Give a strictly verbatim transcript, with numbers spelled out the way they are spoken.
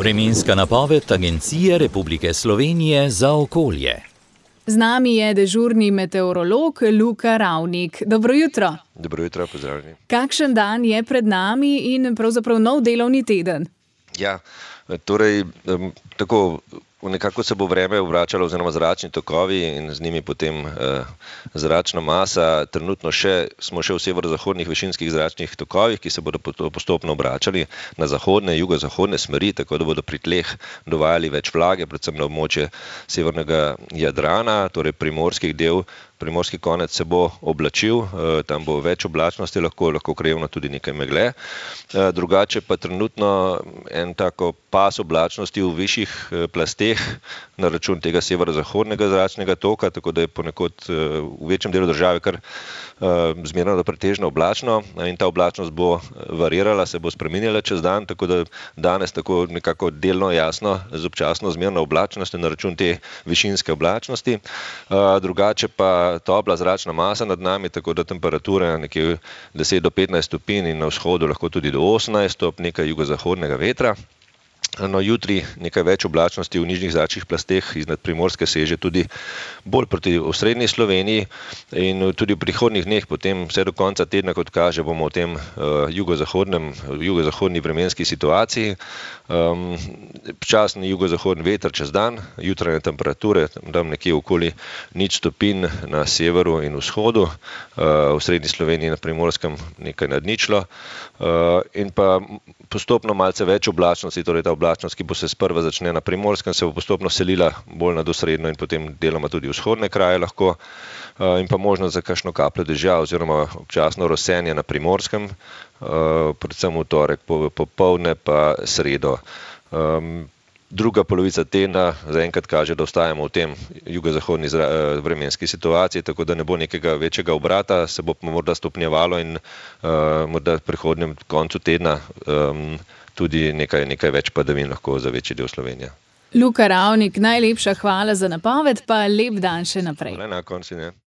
Vremenska napoved Agencije Republike Slovenije za okolje. Z nami je dežurni meteorolog Luka Ravnik. Dobro jutro. Dobro jutro, pozdravljeni. Kakšen dan je pred nami in pravzaprav nov delovni teden? Ja, torej tako nekako se bo vreme obračalo oziroma zračni tokovi in z njimi potem eh, zračna masa. Trenutno še, smo še v severozahodnih višinskih zračnih tokovih, ki se bodo postopno obračali na zahodne, jugozahodne smeri, tako da bodo pri tleh dovajali več vlage, predvsem na območje severnega Jadrana, torej primorskih del. Primorski konec se bo oblačil, tam bo več oblačnosti, lahko, lahko krajevno tudi nekaj megle. Drugače pa trenutno en tako pas oblačnosti v višjih plasteh na račun tega severozahodnega zračnega toka, tako da je ponekod v večjem delu države kar zmerno do pretežno oblačno in ta oblačnost bo varirala, se bo spreminjala čez dan, tako da danes tako nekako delno jasno z občasno zmerno oblačnostjo na račun te višinske oblačnosti. Drugače pa topla zračna masa nad nami, tako da temperature nekje deset do petnajst stopinj in na vzhodu lahko tudi do osemnajst stopinj, nekaj jugozahodnega vetra. No, jutri nekaj več oblačnosti v nižjih zračnih plasteh iznad Primorske seže tudi bolj proti osrednji Sloveniji in tudi v prihodnjih dneh, potem vse do konca tedna, kot kaže, bomo v tem uh, jugozahodnem, jugozahodni vremenski situaciji. Um, Počasni jugozahodni veter čez dan, jutranje temperature tam nekje okoli nič stopinj na severu in vzhodu, uh, v srednji Sloveniji na Primorskem nekaj nad ničlo uh, in pa postopno malce več oblačnosti, torej ta oblačnost, ki bo se sprva začne na Primorskem, se bo postopno selila bolj nad osrednjo in potem deloma tudi vzhodne kraje lahko in pa možnost za kakšno kapljo dežja oziroma občasno rosenje na Primorskem, predvsem v torek popoldne pa sredo. Druga polovica tedna zaenkrat kaže, da ostajamo v tem jugozahodni vremenski situaciji, tako da ne bo nekega večjega obrata, se bo morda stopnjevalo in uh, morda v prihodnjem koncu tedna um, tudi nekaj, nekaj več padavin lahko za večji del Slovenije. Luka Ravnik, najlepša hvala za napoved, pa lep dan še naprej. Na koncu, ne.